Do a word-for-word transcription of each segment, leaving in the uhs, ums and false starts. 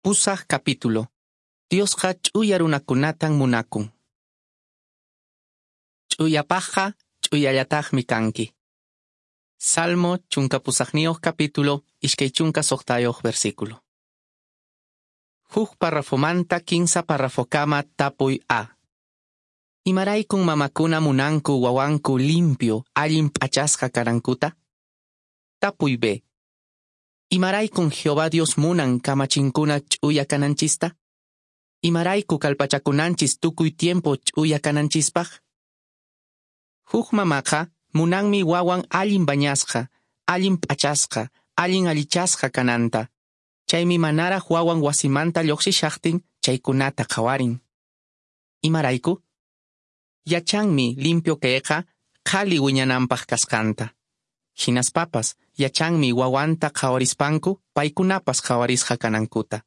Pusaq capítulo. Diosqa ch'uya runakunatan munakun. Ch'uyapaqqa ch'uyallataqmi kanki. Salmo chunka pusaqniyuq capítulo iskay chunka suqtayuq versículo. Huk parrafomanta kinsa parrafokama tapuy A. Imaraykun mamakuna munanku wawanku limpio allin p'achasqa kanankuta? Tapuy B. Imaraykun Jehová Dios munan kamachinkuna ch'uya kananchista? Imarayku kallpachakunanchis tukuy tiempo ch'uya kananchispaq? Huk mamaqa munanmi wawan allin bañasqa, allin p'achasqa, allin allichasqa kananta. Chaymi manaraq wawan wasimanta lluqsishaqtin chaykunata qhawarin. Imarayku? Yachanmi limpio kayqa qhali wiñananpaq kasqanta. Hinaspapas yachanmi wawanta qhawarispanku paykunapas qhawarisqa kanankuta.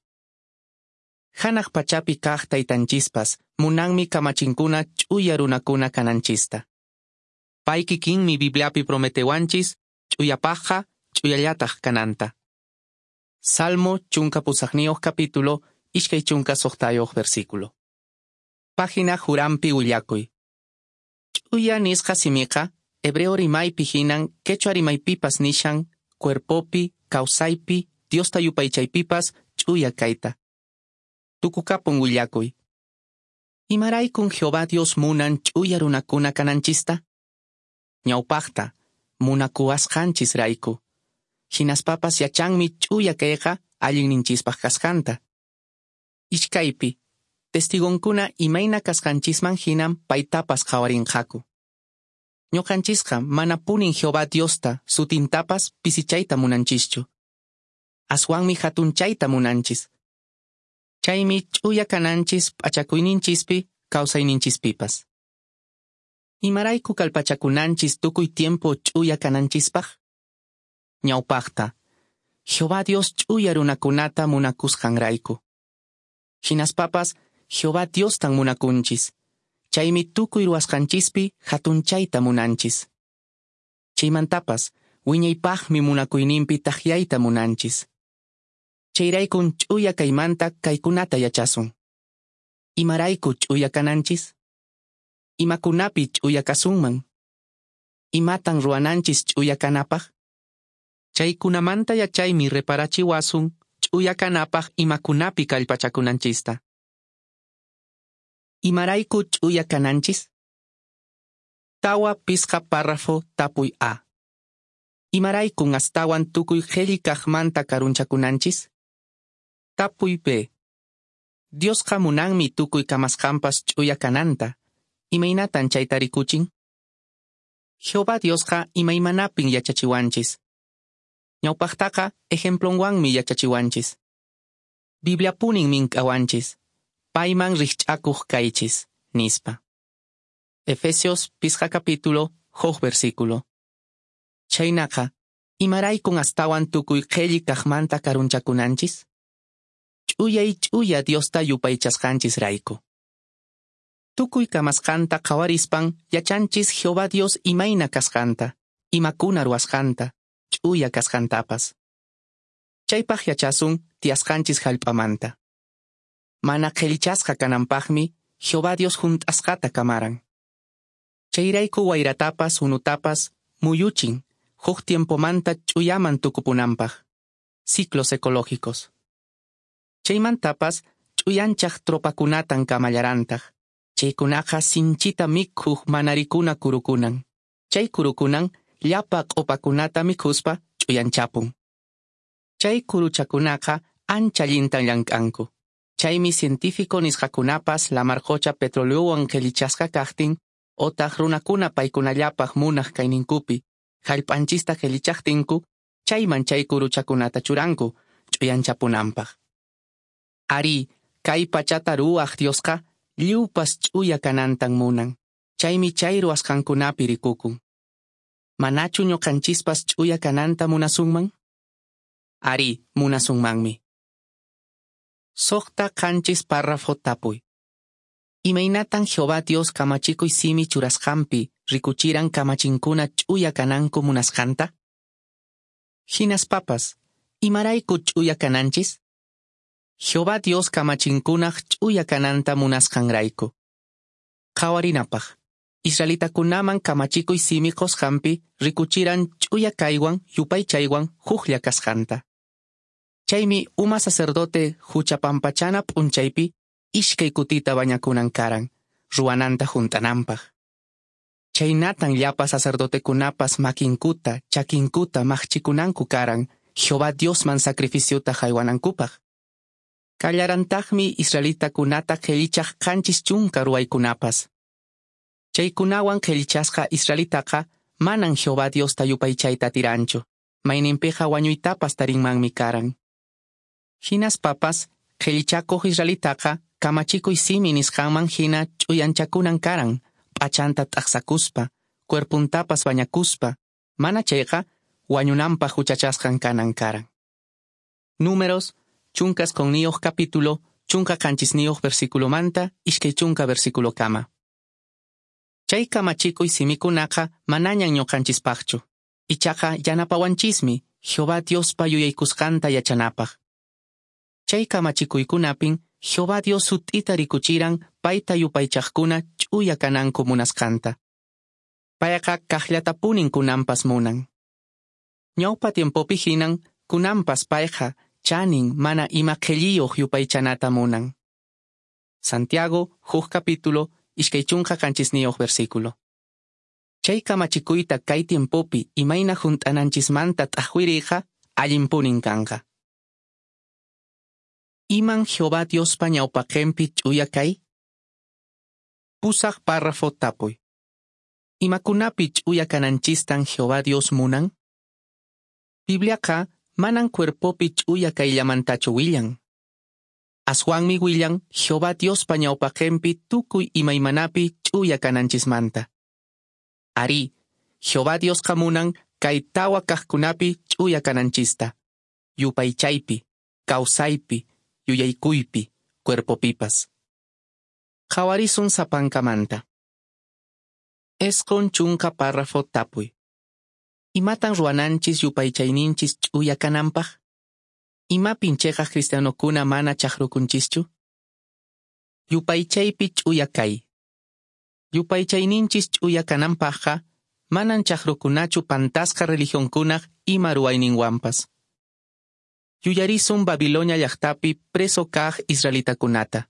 Hanaq pachapi kaq taytanchispas munanmi kamachinkuna ch'uya runakuna kananchista. Pay kikinmi Bibliapi prometewanchis ch'uyapaqqa ch'uyallataq kananta. Salmo chunka pusaqniyuq capítulo iskay chunka suqtayuq versículo. Página Jurampi willakuy. Ch'uya nisqa simiqa hebreo rimaypi hinan quechua rimaypipas nishan cuerpopi, kawsaypi, Diosta yupaychaypipas ch'uya kayta. Tukukapun willakuy. Imaraykun Jehová Dios munan ch'uya runakuna kananchista? Ñawpaqta, munakuwasqanchis rayku. Hinaspapas yachanmi ch'uya kayqa allinninchispaq kasqanta. Iskaypi, testigonkuna imayna kasqanchisman hinan paytapas qhawarinqaku. Ñuqanchisqa manapunin Jehová Diosta sutintapas pisichayta munanchischu. Aswanmi hatunchayta munanchis. Chaymi ch'uya kananchis p'achakuyninchispi, kawsayninchispipas. Imarayku kallpachakunanchis tukuy tiempo ch'uya kananchispaq? Ñawpaqta, Jehová Dios ch'uya runakunata munakusqanrayku. Hinaspapas Jehová Diostan munakunchis. Chaymi tukuy ruwasqanchispi hatunchayta munanchis. Chaymantapas wiñaypaqmi munakuyninpi takyayta munanchis. Chayraykun ch'uya kaymanta kaykunata yachasun. Imarayku ch'uya kananchis? Imakunapi ch'uya kasunman? Imatan ruwananchis ch'uya kanapaq? Chaykunamanta yachaymi reparachiwasun ch'uya kanapaq imakunapi kallpachakunanchista. Imarayku ch'uya kananchis? Tawa pisqa párrafo tapuy A. Imaraykun astawan tukuy qhelli kaqmanta karunchakunanchis? Tapuy B. Diosqa munanmi tukuy kamasqanpas ch'uya kananta. Imaynatan chayta rikuchin? Jehová Diosqa imaymanapin yachachiwanchis. Ñawpaqtaqa ejemplonwanmi yachachiwanchis. Bibliapunin mink'awanchis. Payman rikch'akuq kaychis, nispa. Efesios pisqa capítulo, huk versículo. Chaynaqa, imaraykun astawan tukuy qhelli kaqmanta karunchakunanchis? Ch'uyay ch'uya Diosta yupaychasqanchis rayku. Tukuy kamasqanta qhawarispan yachanchis Jehová Dios imayna kasqanta, imakuna ruwasqanta, ch'uya kasqantapas. Chaypaq yachasun tiyasqanchis hallp'amanta. Mana qhellichasqa kananpaqmi Jehová Dios hunt'asqata kamaran. Chayrayku wayratapas unutapas muyuchin huk tiempomanta ch'uyaman tukupunanpaq. Ciclos ecológicos. Chaymantapas ch'uyanchaq tropakunatan kamallarantaq. Chaykunaqa sinchita mikhuq manarikuna kurukunan. Chay kurukunan llapa q'upakunata mikhuspa ch'uyanchapun. Chay kuruchakunaqa ancha allintan llank'anku. Chaymi científico nisqakunapas lamarqocha petroleowan qhellichasqa kaqtin otaq runakuna paykunallapaq munaq kayninkupi hallp'anchista qhellichaqtinku chayman chay kuruchakunata churanku ch'uyanchapunanpaq. Ari, kay pachata ruwaq Diosqa lliwpas ch'uya kanantan munan. Chaymi chay ruwasqankunapi rikukun. Manachu ñuqanchispas ch'uya kananta munasunman? Ari, munasunmanmi. Suqta qanchis párrafo tapuy. Imaynatan Jehová Dios kamachikuy simi churasqanpi rikuchiran kamachinkuna ch'uya kananku munasqanta? Hinaspapas, imarayku ch'uya kananchis? Jehová Dios kamachinkunaq ch'uya kananta munasqanrayku. Qhawarinapaq, israelitakunaman kamachikuy simi qosqanpi rikuchiran ch'uya kaywan yupaychaywan huklla kasqanta. Chaymi uma sacerdote hucha pampachana p'unchaypi iskay kutita bañakunan karan, ruwananta hunt'ananpaq. Chaynatan llapa sacerdotekunapas makinkuta, chakinkuta maqchikunanku karan, Jehová Diosman sacrificiota haywanankupaq. Kallarantaqmi israelitakunata qhellichaq qanchis chunka ruwaykunapas. Chaykunawan qhellichasqa israelitaqa manan Jehová Diosta yupaychayta atiranchu, mayninpiqa wañuytapas tarinmanmi karan. Hinaspapas qhellichakuq israelitaqa kamachikuy simi nisqanman hina ch'uyanchakunan karan, p'achanta t'aqsakuspa, cuerpuntapas bañakuspa, mana chayqa wañunanpaq huchachasqan kanan karan. Números, chunka isqonniyuq capítulo, chunka qanchisniyuq versículomanta, iskay chunka versículokama. Chay kamachikuy simikunaqa manañan ñuqanchispaqchu. Ichaqa yanapawanchismi Jehová Diospa yuyaykusqanta yachanapaq. Chay kamachikuykunapin Jehová Dios sut'ita rikuchiran payta yupaychaqkuna ch'uya kananku munasqanta. Payqa kaqllatapunin kunanpas munan. Ñawpa tiempopi hinan kunanpas payqa chanin mana ima qhelliyuq yupaychanata munan. Santiago, huk capítulo, iskay chunka qanchisniyuq versículo. Chay kamachikuyta kay tiempopi imayna hunt'ananchismanta t'aqwiriyqa allinpunin kanqa. Iman Jehová Diospa ñawpaqenpi ch'uya kay? Pusaq párrafo tapuy. Imakunapi ch'uya kananchistan Jehová Dios munan? Bibliaqa manan cuerpopi ch'uya kayllamantachu willan. Aswanmi willan Jehová Diospa ñawpaqenpi tukuy imaymanapi ch'uya kananchismanta. Arí, Jehová Diosqa munan kay tawa kaqkunapi ch'uya kananchista. Yupaychaypi, kawsaypi, yuyaykuypi, cuerpopipas. Qhawarisun sapankamanta. Isqun chunka párrafo tapuy. Imatan ruwananchis yupaychayninchis ch'uya kananpaq? Imapin cheqaq cristianokuna mana chaqrukunchischu? Yupaychaypi ch'uya kay. Yupaychayninchis ch'uya kananpaqqa manan chaqrukunachu pantasqa religionkunaq ima ruwayninwanpas. Yuyarisun Babilonia llaqtapi preso kaq israelitakunata.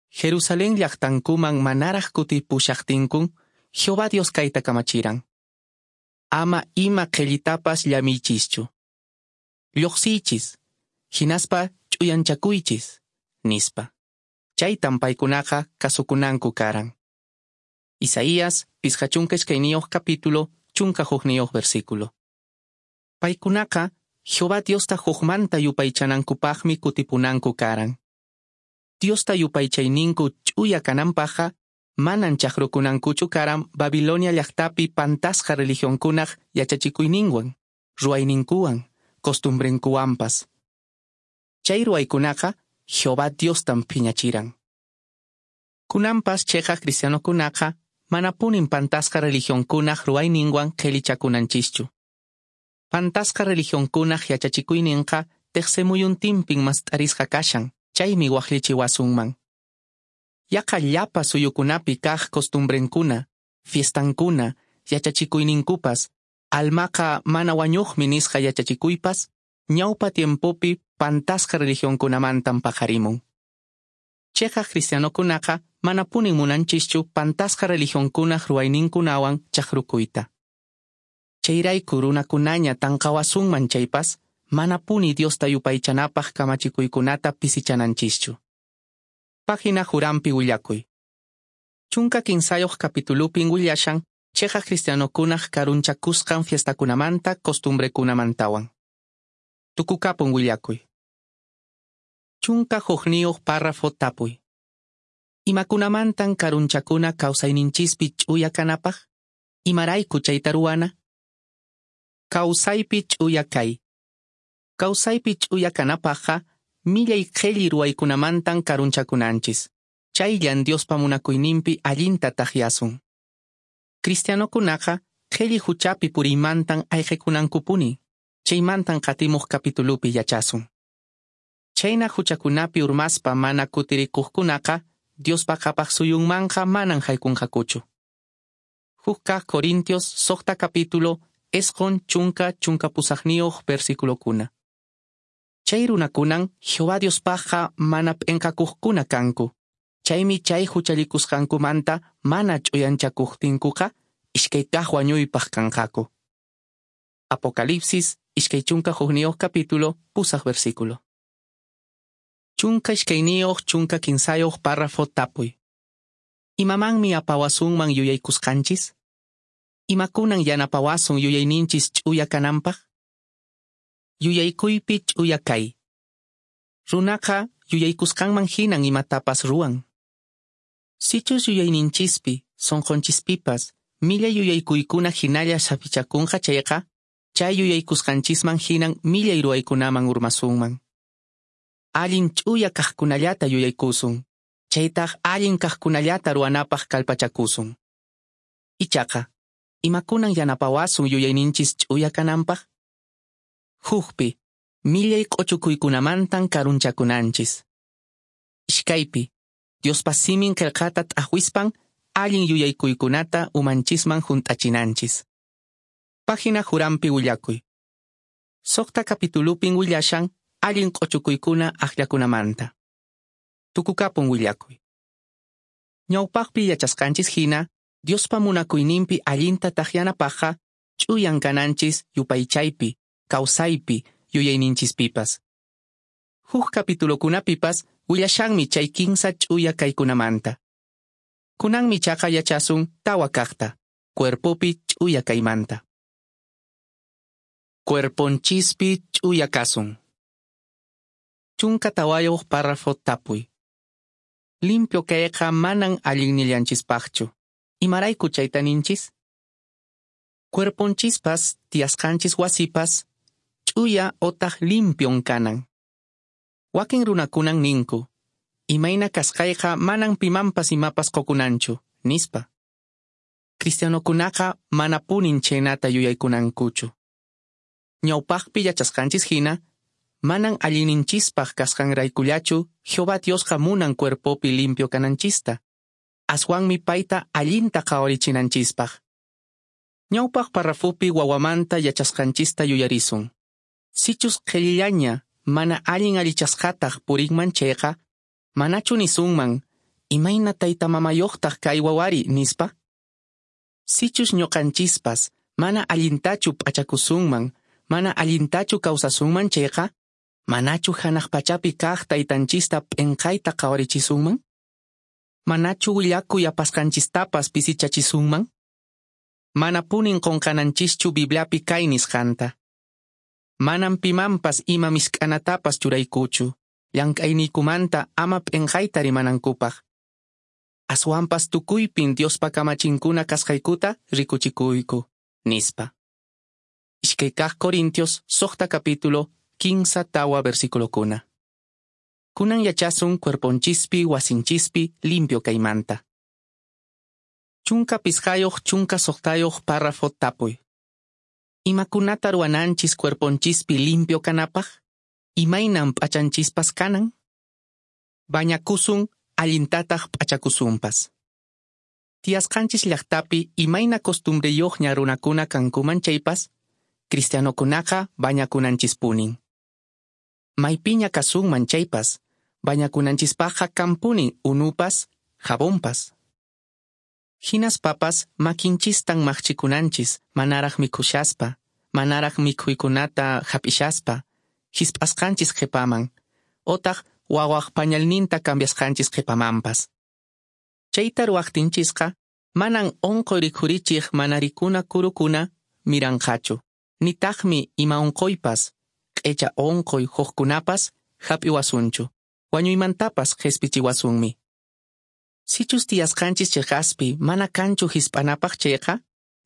Jerusalén llaqtankuman manaraq kutipushaqtinkun, Jehová Dios kayta kamachiran. Ama ima qhellitapas llamiychischu. Lluqsiychis, hinaspa ch'uyanchakuychis, nispa. Chaytan paykunaqa kasukunanku karan. Isaías, pisqa chunka iskayniyuq capítulo, chunka hukniyuq versículo. Paykunaqa Jehová Diosta hukmanta yupaychanankupaqmi kutipunanku karan. Diosta yupaychayninku ch'uya kananpaqqa manan chaqrukunankuchu karan Babilonia llaqtapi pantasqa religionkunaq yachachikuyninwan, ruwayninkuwan, costumbrenkuwanpas. Chay ruwaykunaqa Jehová Diostan phiñachiran. Kunanpas cheqaq cristianokunaqa manapunin pantasqa religionkunaq ruwayninwan qhelichakunanchischu. Pantasqa religionkunaq yachachikuyninqa teqsimuyuntinpin mast'arisqa kashan, chaymi waqllichiwasunman. Yaqa llapa suyukunapi kaq costumbrenkuna, fiestankuna, yachachikuyninkupas, almaqa mana wañuqmi nisqa yachachikuypas, ñawpa tiempopi pantasqa religionkunamantan paqarimun. Cheqaq cristianokunaqa manapunin munanchischu pantasqa religionkunaq ruwayninkunawan chaqrukuyta. Chayrayku runakunaña tanqawasunman chaypas, manapuni Diosta yupaychanapaq kamachikuykunata pisichananchischu. Página Jurampi willakuy. Chunka kinsayuq capitulupin willashan cheqaq cristianokunaq karunchakusqan fiestakunamanta costumbrekunamantawan. Tukukapun willakuy. Chunka hukniyuq párrafo tapuy. Imakunamantan karunchakuna kawsayninchispi ch'uya kanapaq? Imarayku chayta ruwana? Kawsaypi ch'uya kay. Kawsaypi ch'uya kanapaqqa millay qhelli ruwaykunamantan karunchakunanchis. Chayllan Diospa munakuyninpi allinta taqyasun. Cristianokunaqa qhelli huchapi puriymantan ayqikunankupuni. Chaymantan qatimuq capitulupi yachasun. Chhayna huchakunapi urmaspa mana kutirikuqkunaqa Diospa qhapaq suyunmanqa manan haykunqakuchu. Huk kaq Corintios suqta capítulo isqun chunka chunka pusaqniyuq versiculokuna. Chay runakunan Jehová Diospaqqa mana p'inqakuqkuna kanku. Chaymi chay huchallikusqankumanta mana ch'uyanchakuqtinkuqa iskay kaq wañuypaq kanqaku. Apocalipsis iskay chunka hukniyuq capítulo pusaq versículo. Chunka iskayniyuq chunka kinsayuq párrafo tapuy. Imamanmi apawasunman yuyaykusqanchis? Imakunan yanapawasun yuyayninchis ch'uya kananpaq? Yuyaykuypi ch'uya kay. Runaqa yuyaykusqanman hinan imatapas ruwan. Sichus yuyayninchispi, sunqunchispipas, millay yuyaykuykuna hinalla saphichakunqa chayqa, chay yuyaykusqanchisman hinan millay ruwaykunaman urmasunman. Allin ch'uya kaqkunallata yuyaykusun, chaytaq allin kaqkunallata ruwanapaq kallpachakusun. Ichaqa, imakunan yanapawasun yuyayninchis ch'uya kananpaq? Hukpi, millay q'uchukuykunamantan karunchakunanchis. Iskaypi, Diospa simin qillqata t'aqwispan allin yuyaykuykunata umanchisman hunt'achinanchis. Página Juranpi willakuy. Suqta capitulupin willashan allin q'uchukuykuna akllakunamanta. Tukukapun willakuy. Ñawpaqpi yachasqanchis hina, Diospa munakuyninpi allinta taqyanapaqqa ch'uyan kananchis yupaychaypi, kawsaypi, yuyayninchispipas. Huk capitulokunapipas willashanmi chay kinsa ch'uya kaykunamanta. Kunanmi chaqa yachasun tawa kaqta, cuerpopi ch'uya kaymanta. Cuerponchispi ch'uya kasun. Chunka tawayuq párrafo tapuy. Limpio kayqa manan allinnillanchispaqchu. Imarayku chayta ninchis? Cuerponchispas, tiyasqanchis wasipas, ch'uya otaq limpion kanan. Wakin runakunan ninku, imayna kasqayqa manan pimanpas imapas qukunanchu, nispa. Cristianokunaqa manapunin chhaynata yuyaykunankuchu. Ñawpaqpi yachasqanchis hina, manan allinninchispaq kasqanraykullachu Jehová Diosqa munan cuerpopi limpio kananchista. Aswanmi payta allinta qhawarichinanchispaq. Ñawpaq parrafopi wawamanta yachasqanchista yuyarisun. Sichus qhillillaña mana allin allichasqataq purinman chayqa, manachu nisunman, imayna tayta mamayuqtaq kay wawari nispa? Sichus ñuqanchispas mana allintachu p'achakusunman, mana allintachu kawsasunman chayqa, manachu hanaq pachapi kaq taytanchista p'inqayta qhawarichisunman? Manachu willakuy apasqanchistapas pisichachisunman? Manapunin qunqananchischu Bibliapi kay nisqanta. Manan pimanpas ima misk'anatapas churaykuchu, llank'ayniykumanta ama p'inqayta rimanankupaq. Aswanpas tukuypin Diospa kamachinkuna kasqaykuta rikuchikuyku, nispa. Iskay kaq Corintios suqta capítulo kinsa tawa versiculokuna. Kunan yachasun cuerponchispi wasinchispi limpio kaymanta. Chunka pisqayuq chunka suqtayuq párrafo tapuy. Imakunata ruwananchis cuerponchispi limpio kanapaq? Imaynan p'achanchispas kanan? Bañakusun allintataq p'achakusunpas. Tiyasqanchis llaqtapi imayna costumbreyuqña runakuna kankuman chaypas, cristianokunaqa bañakunanchispunin. Maypiña kasunman chaypas, bañakunanchispaqqa kanpunin unupas, jabonpas. Hinaspapas makinchistan maqchikunanchis manaraq mikhushaspa, manaraq mikhuykunata hap'ishaspa, hisp'asqanchis qhipaman, otaq wawaq pañalninta cambiasqanchis qhipamanpas. Chayta ruwaqtinchisqa manan unquy rikhurichiq mana rikuna kurukuna miranqachu, nitaqmi ima unquypas, q'echa unquy hukkunapas hap'iwasunchu, wañuymantapas qhispichiwasunmi. Sichus tiyasqanchis chiqaspi mana kanchu hisp'anapaq chayqa,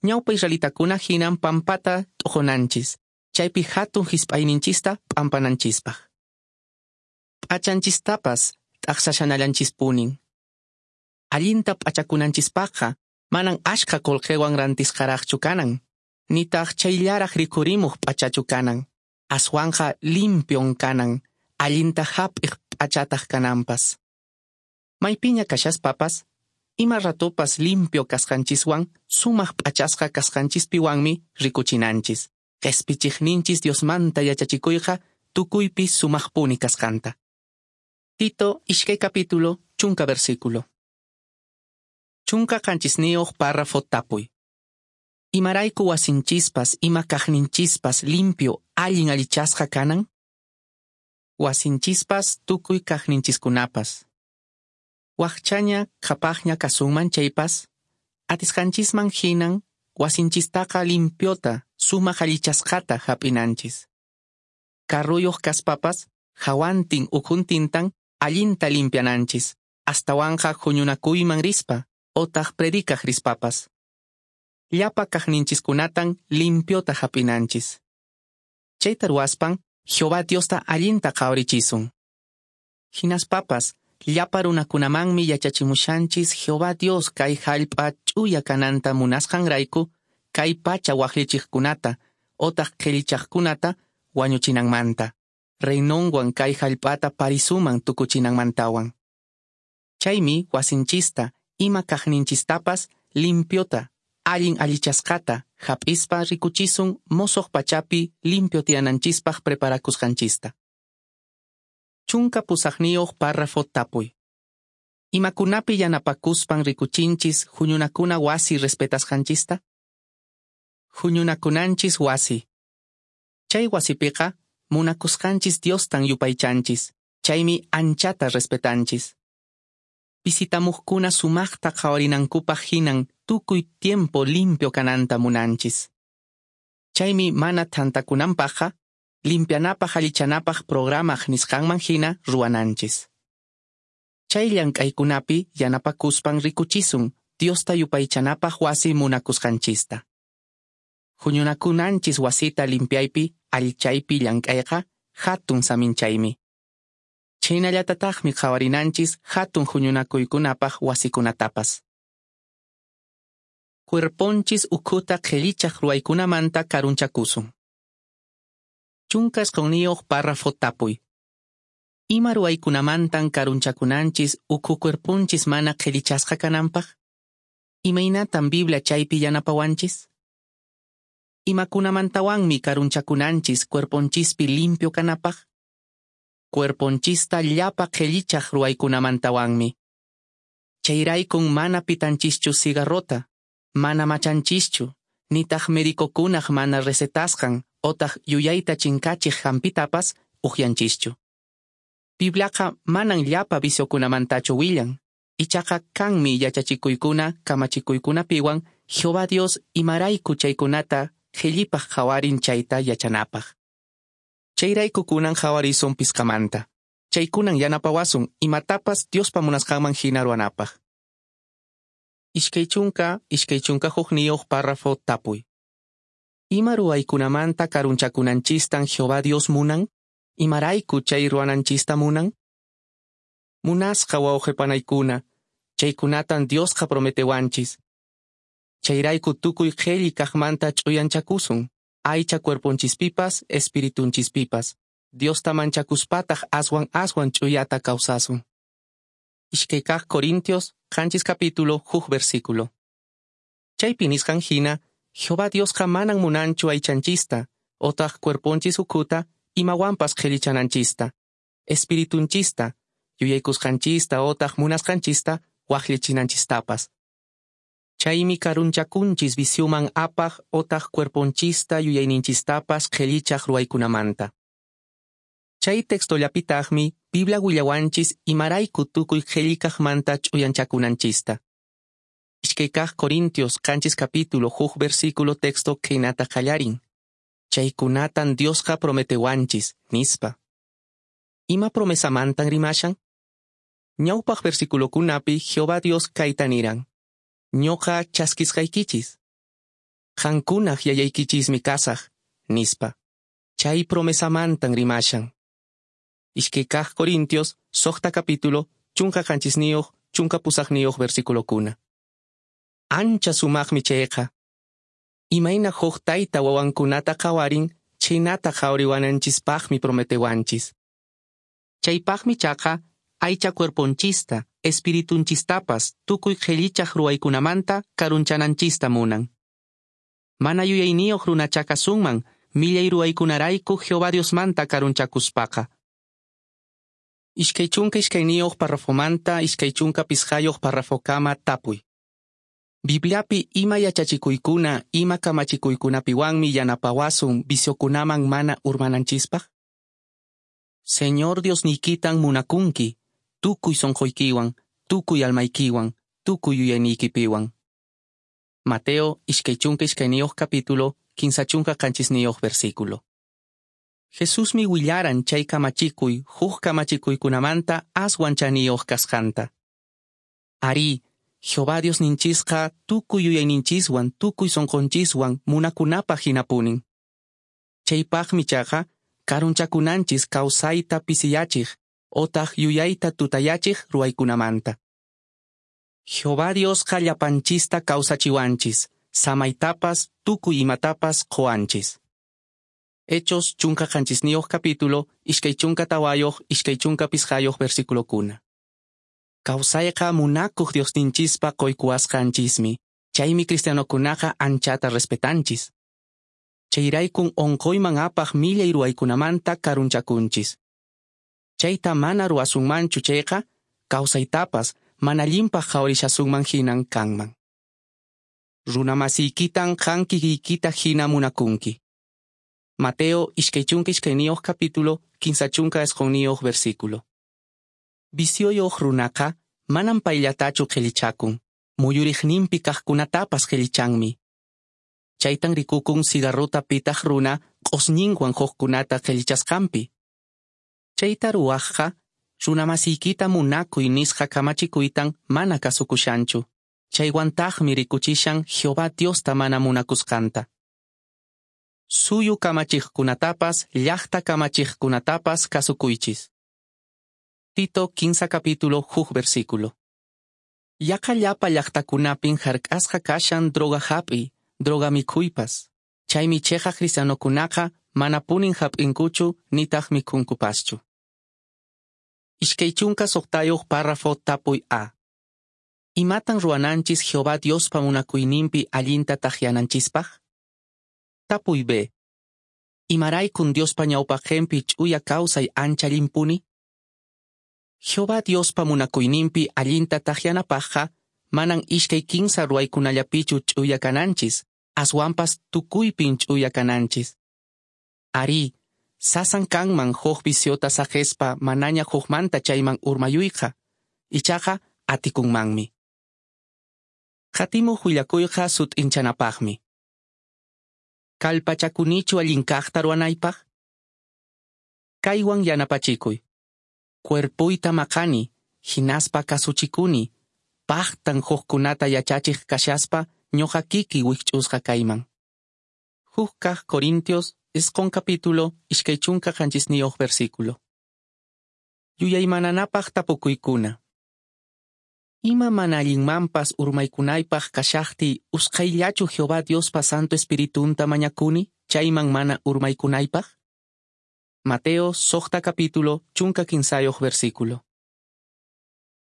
ñawpa israelitakuna hinan pampata t'uqunanchis, chaypi hatun hisp'ayninchista p'ampananchispaq. P'achanchistapas t'aqsashanallanchispunin. Allinta p'achakunanchispaqqa manan ashkha qullqiwan rantisqaraqchu kanan, nitaq chayllaraq rikhurimuq p'achachu kanan, aswanqa limpion kanan, allinta hap'iq p'achataq kananpas. Maypiña kashaspapas, ima ratopas limpio kasqanchiswan, sumaq p'achasqa kasqanchispiwanmi rikuchinanchis. Qespichiqninchis Diosmanta yachachikuyqa tukuypi sumaqpuni kasqanta. Tito iskay capítulo, chunka versículo. Chunka qanchisniyuq párrafo tapuy. Imarayku wasinchispas ima kaqninchispas limpio allin allichasqa kanan? Wasinchispas tukuy kaqninchiskunapas. Waqchaña qhapaqña kasunman chaypas, atisqanchisman hinan wasinchistaqa limpiota sumaq allichasqata hap'inanchis. Carruyuq kaspapas hawantin ukhuntintan allinta limpiananchis, astawanqa huñunakuyman rispa otaq predicaq rispapas. Llapa kaqninchiskunatan limpiota hap'inanchis. Chayta ruwaspan Jehová Diosta allinta qhawarichisun. Hinaspapas llapa runakunamanmi yachachimushanchis Jehová Dios kay hallp'a ch'uya kananta munasqanrayku kay pacha waqllichiqkunata otaq qhillichaqkunata wañuchinanmanta, reinonwan kay hallp'ata parisuman tukuchinanmantawan. Chaymi wasinchista ima kaqninchistapas limpiota allin allichasqata hap'ispa rikuchisun mosoq pachapi limpio tiyananchispaq preparakusqanchista. Chunka pusaqniyuq párrafo tapuy. Imakunapi yanapakuspan rikuchinchis huñunakuna wasi respetasqanchista? Huñunakunanchis wasi. Chay wasipiqa munakusqanchis Diostan yupaychanchis, chaymi anchata respetanchis. Visitamuqkuna sumaqta qhawarinankupaq hinan tukuy tiempo limpio kananta munanchis. Chaymi mana thantakunanpaqqa limpianapaq allichanapaq programaq nisqanman hina ruwananchis. Chay llank'aykunapi yanapakuspan rikuchisun Diosta yupaychanapaq wasi munakusqanchista. Huñunakunanchis wasita limpiaypi allichaypi llank'ayqa hatun saminchaymi. Chhaynallatataqmi qhawarinanchis hatun huñunakuykunapaq wasikunatapas. Cuerponchis ukhuta qhillichaq ruwaykunamanta karunchakusun. Chunka isqunniyuq párrafo tapuy. Ima ruwaykunamantan karunchakunanchis ukhu cuerponchis mana qhillichasqa kananpaq? Imaynatan Biblia chaypi yanapawanchis? Imakunamantawanmi karunchakunanchis cuerponchispi limpio kanapaq? Cuerponchista llapa qhillichaq ruwaykunamantawanmi. Chayraykun mana pitanchischu cigarrota, mana machanchischu, nitaq medicokunaq mana recetasqan otaq yuyayta chinkachiq hampitapas uqyanchischu. Bibliaqa manan llapa viciokunamantachu willan, ichaqa kanmi yachachikuykuna kamachikuykunapiwan Jehová Dios imarayku chaykunata qhillipaq qhawarin chayta yachanapaq. Chayrayku kunan qhawarisun pisqamanta. Chaykunan yanapawasun imatapas Diospa munasqanman hina ruwanapaq. Iskay chunka, iskay chunka hukniyuq párrafo tapuy. Ima ruwaykunamanta karunchakunanchistan Jehová Dios munan? Imarayku chay ruwananchista munan? Munasqa wawqipanaykuna, chaykunatan Diosqa prometewanchis. Chayrayku tukuy qhelli kaqmanta ch'uyanchakusun, aycha cuerponchispipas, espiritunchispipas. Diosta manchakuspataq aswan aswan ch'uyata kawsasun. Iskay kaq Corintios, qanchis capítulo, huk versículo. Chaypi nisqan hina, Jehová Diosqa manan munanchu aychanchista, otaq cuerponchis ukhuta, imawanpas qhellichananchista, espiritunchista, yuyaykusqanchista otaq munasqanchista waqllichinanchistapas. Chaymi karunchakunchis vicioman apaq otaq cuerponchista yuyayninchistapas qhellichaq ruwaykunamanta. Chay textollapitaqmi Biblia willawanchis imarayku tukuy qhellikaqmanta ch'uyanchakunanchista. Iskay kaq Corintios qanchis capítulo huk versículo texto khaynata qallarin. Chaykunatan Diosqa prometewanchis, nispa. Ima promesamantan rimashan? Ñawpaq versiculokunapi Jehová Dios kayta niran. Ñuqa chaskisqaykichis. Qankunaq yayaykichismi kasaq, nispa. Chay promesamantan rimashan. Iskay kaq Corintios suqta capítulo chunka qanchisniyuq chunka pusaqniyuq versiculokuna. Ancha sumaqmi chayqa. Imayna huk tayta wawankunata qhawarin, chhaynata qhawariwananchispaqmi prometewanchis. Chaypaqmi chaqa aycha cuerponchista, espiritunchistapas tukuy qhellichaq ruwaykunamanta karunchananchista munan. Mana yuyayniyuq runachá kasunman millay ruwaykunarayku Jehová Diosmanta karunchakuspaqa. Iskay chunka iskayniyuq parrafomanta iskay chunka pisqayuq parrafokama tapuy. Bibliapi ima yachachikuykuna ima kamachikuykunapiwanmi yanapawasun viciokunaman mana urmananchispaq? Señor Diosniykitan munakunki, tukuy sonqoykiwan, tukuy almaykiwan, tukuy yuyayniykipiwan. Mateo iskay chunka iskayniyuq capítulo, kinsa chunka qanchisniyuq versículo. Jesusmi willaran chay kamachikuy huk kamachikuykunamanta aswan chaniyuq kasqanta. Arí, Jehová Diosninchisqa tukuy yuyayninchiswan, tukuy sonqonchiswan munakunapaq hinapunin. Chaypaqmi chaqa karunchakunanchis kawsayta pisiyachiq otaq yuyayta tutayachiq ruwaykunamanta. Jehová Diosqa llapanchista kawsachiwanchis, samaytapas tukuy imatapas quwanchis. Hechos chunka qanchisniyuq capítulo, iskay chunka tawayuq, iskay chunka pisqayuq versiculokuna. Kawsayqa munakuq Diosninchispa qoykuwasqanchismi, chaymi cristianokunaqa anchata respetanchis. Chayraykun onqoyman apaq millay ruwaykunamanta karunchakunchis. Chayta mana ruwasunmanchu chayqa, kawsaytapas mana allinpaq qhawarishasunman hinan kanman. Runamasiykitan qan kikiykita hina munakunki. Mateo iskay chunka iskayniyuq capítulo, kinsa chunka isqunniyuq versículo. Vicioyuq runaqa manam payllatachu qhellichakun, muyuriqninpi kaqkunatapas qhellichanmi. Chaytan rikukun cigarrota pitaq runa q'usñinwan hukkunata qhellichasqanpi. Chayta ruwaqqa runamasiykita munakuy nisqa kamachikuytan mana kasukushanchu. Chaywantaqmi rikuchishan Jehová Diosta mana munakusqanta. Suyu kamachiqkunatapas, llaqta kamachiqkunatapas kasukuychis. Tito kinsa capítulo huk versículo. Yaqa llapa llaqtakunapin hark'asqa kashan droga hap'iy, droga mikhuypas. Chaymi chiqaq cristianokunaqa manapunin hap'inkuchu nitaq mikhunkupaschu. Iskay chunka suqtayuq párrafo tapuy A. Imatan ruwananchis Jehová Diospa munakuyninpi allinta takyananchispaq? Tapuy B. Imaraykun Diospa ñawpaqinpi ch'uya kawsay ancha allinpuni? Jehová Diospa munakuyninpi allinta takyanapaqqa manan iskay kinsa ruwaykunallapichu ch'uya kananchis, aswanpas tukuypin ch'uya kananchis. Arí, sasan kanman huk viciota saqespa manaña hukmanta chayman urmayuyqa, ichaqa atikunmanmi. Qatimuq willakuyqa sut'inchanapaqmi. Kallpachakunichu allin kaqta ruwanaypaq? Kaywan yanapachikuy. Cuerpuyta maqani, hinaspa kasuchikuni, paqtan hukkunata yachachiq kashaspa ñuqa kiki wikch'usqa kayman. Huk kaq Corintios isqun capítulo iskay chunka qanchisniyuq versículo. Yuyaymananapaq tapukuykuna. Ima mana allinmanpas urmaykunaypaq kashaqtiy usqhayllachu Jehová Diospa Santo Espiritunta mañakuni chayman mana urmaykunaypaq? Mateo suqta capítulo chunka kinsayuq versículo.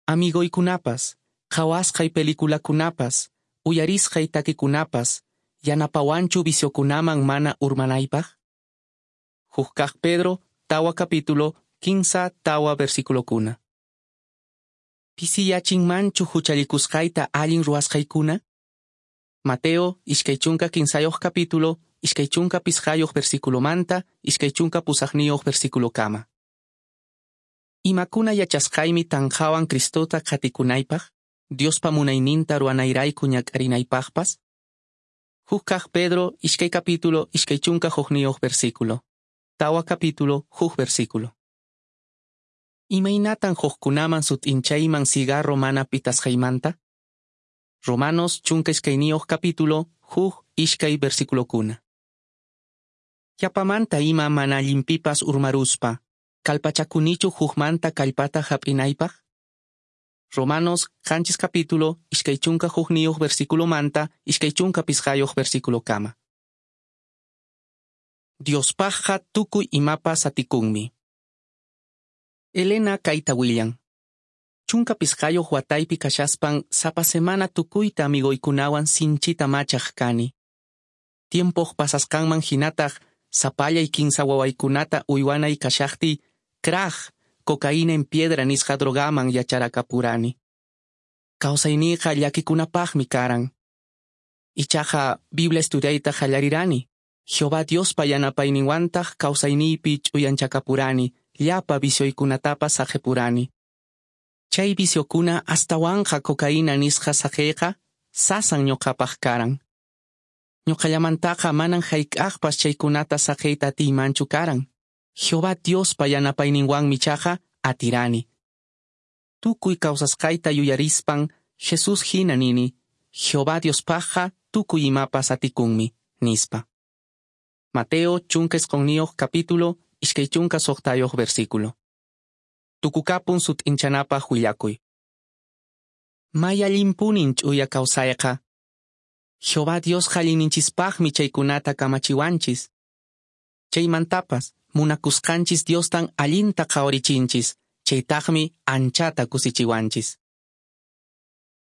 Amigoykunapas, qhawasqay peliculakunapas, uyarisqay takikunapas, yanapawanchu viciokunaman mana urmanaypaq? Huk kaq Pedro tawa capítulo kinsa tawa versiculokuna. Pisiyachinmanchu huchallikusqayta allin ruwasqaykuna? Mateo iskay chunka kinsayuq capítulo iskay chunka pisqayuq versiculomanta iskay chunka pusaqniyuq versiculokama. Imakuna yachasqaymi tanqawan Cristota qatikunaypaq, Diospa munayninta ruwanayrayku ñak'arinaypaqpas? Huk kaq Pedro iskay capítulo iskay chunka hukniyuq versículo. Tawa capítulo huk versículo. Imaynatan hukkunaman sut'inchayman cigarro mana pitasqaymanta? Romanos chunka iskayniyuq capítulo huk iskay versiculokuna. Yapamanta ima mana allinpipas urmaruspa, kallpachakunichu hukmanta kallpata hap'inaypaq? Romanos qanchis capítulo iskay chunka hukniyuq versiculomanta iskay chunka pisqayuq versiculokama. Diospaqqa tukuy imapas atikunmi. Elena kayta willan. Chunka pisqayoq wataypi kashaspan sapa semana tukuyta amigoykunawan sinchita machaq kani. Tiempoq pasasqanman hinataq sapallay kinsa wawaykunata uywanay kashaqtiy crack, cocaína en piedra nisqa drogaman yacharakapurani. Kawsayniyqa llakikunapaqmi karan. Ichaqa Biblia estudiayta qallarirani. Jehová Diospa yanapayninwantaq kawsayniypi ch'uyanchakapurani, llapa vicioykunatapas saqepurani. Chay viciokuna astawanqa cocaína nisqa saqeyqa sasan ñuqapaq karan. Ñuqallamantaqa manan hayk'aqpas chaykunata saqeyta atiymanchu karan. Jehová Diospa yanapayninwanmi ichaqa atirani. Tukuy kawsasqayta yuyarispan Jesús hina nini, Jehová Diospaqqa tukuy imapas atikunmi, nispa. Mateo chunka isqonniyuq capítulo iskay chunka suqtayuq versículo. Tukukapun sut'inchanapaq willakuy. May allinpunin ch'uya kawsayqa. Jehová Diosqa allinninchispaqmi chaykunata kamachiwanchis. Chaymantapas munakusqanchis Diostan allinta qhawarichinchis, chaytaqmi anchata kusichiwanchis.